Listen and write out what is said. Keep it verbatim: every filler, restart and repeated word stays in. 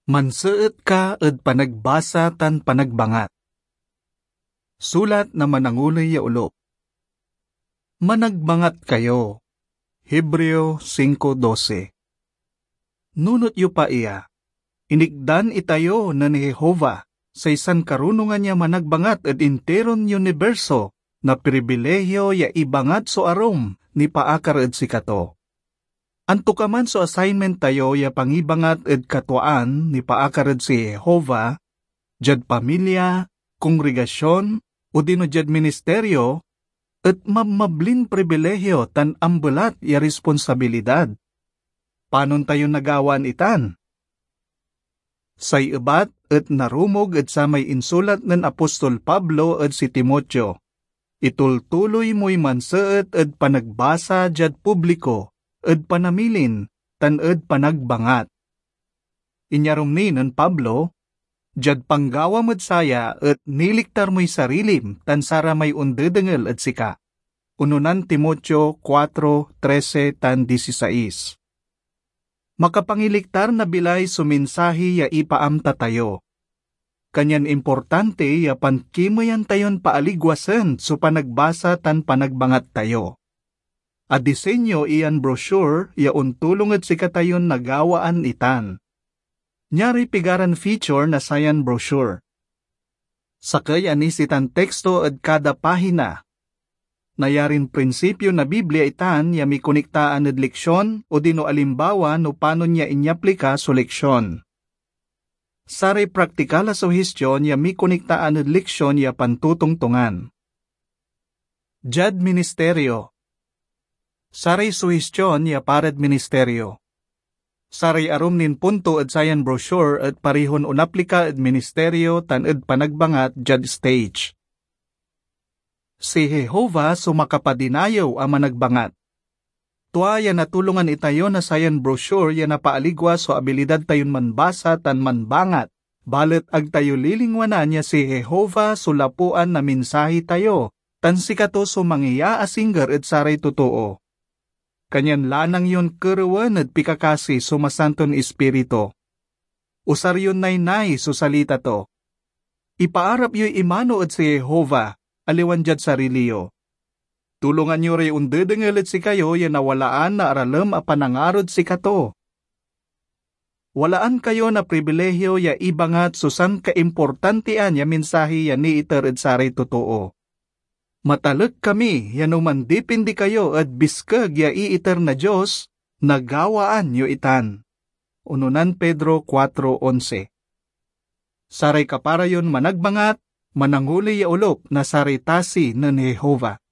Manseet ka ed panagbasa tan panagbangat. Sulat na mananguley ya olo. Managbangat kayo. Hebreo singko dose. Nunot yo pa iya, inikdan itayo nen Jehovah, say sankarunongan ya managbangat ed interon uniberso, na pribilehio ya ibangat so arum nipaakar ed sikato. Antokaman so assignment tayo ya pangibangat ed katwaan nipaakar ed si Jehovah, diad pamilya, kongregasyon, odino diad ministerio, et mabmablin pribilehio tan ambelat ya responsabilidad. Panon tayo nagawaan itan? Say ebat et narumog ed samay insulat nen apostol Pablo ed si Timoteo. Itultuloy moy manseet ed panagbasa diad publiko, ed panamilin, tan ed panagbangat. Inyarum ni nen Pablo, diad panggawam ed saya et niliktar moy sarilim tan saramay ondedengel ed sika. Unonan Timoteo kuatro trese tan disisais. Makapangiliktar na bilay so mensahe ya ipaamta tayo. Kanyan importante ya pankimeyan tayon paaligwasen so panagbasa tan panagbangat tayo. Adisenyo iyan brochure ya ontulong ed sikatayon nagawaan itan. Niaroy pigaran feature na sayan brochure. Sakey a nisitan teksto ed kada pahina. Nayarin prinsipio na Biblia itan ya mikonektaan ed leksion odino alimbawa no panon ya inyaplika so leksion. Saray praktikal a suhistyon ya mikonektaan ed leksion ya pantotongtongan. Diad ministerio. Saray suhistyon ya parad ministerio. Saray arum nin punto ed sayan brochure et parihon onaplika ed ministerio tan ed panagbangat diad stage. Si Jehovah so makapadinayew a managbangat. Tua ya natulongan itayo na sayan brochure ya napaaligwa so abilidad tayon manbasa tan manbangat, balet ag tayo lilingwanan ya si Jehovah so lapuan na mensahe tayo, tan sikato so mangiyaasingger ed saray totoo. Kanyan lanang yon kerewen ed pikakasi so Masanton Ispiritu. Usar yon naynay so salita to. Ipaarap yoy imano ed si Jehovah, aliwan diad sarili yo. Tulongan yo ray ondedengel ed sikayo ya nawalaan na aralem a panangarod sikato. Walaan kayo na pribilehio ya ibangat so sankaimportantian ya mensahe ya niiter ed saray totoo. Matalek kami ya no mandipindi kayo ed biskeg ya iiter na Dios, nagawaan yo itan. Unonan Pedro kuatro onse. Saray kapara yon managbangat, mananguley ya olop na saray tasi nen Jehovah.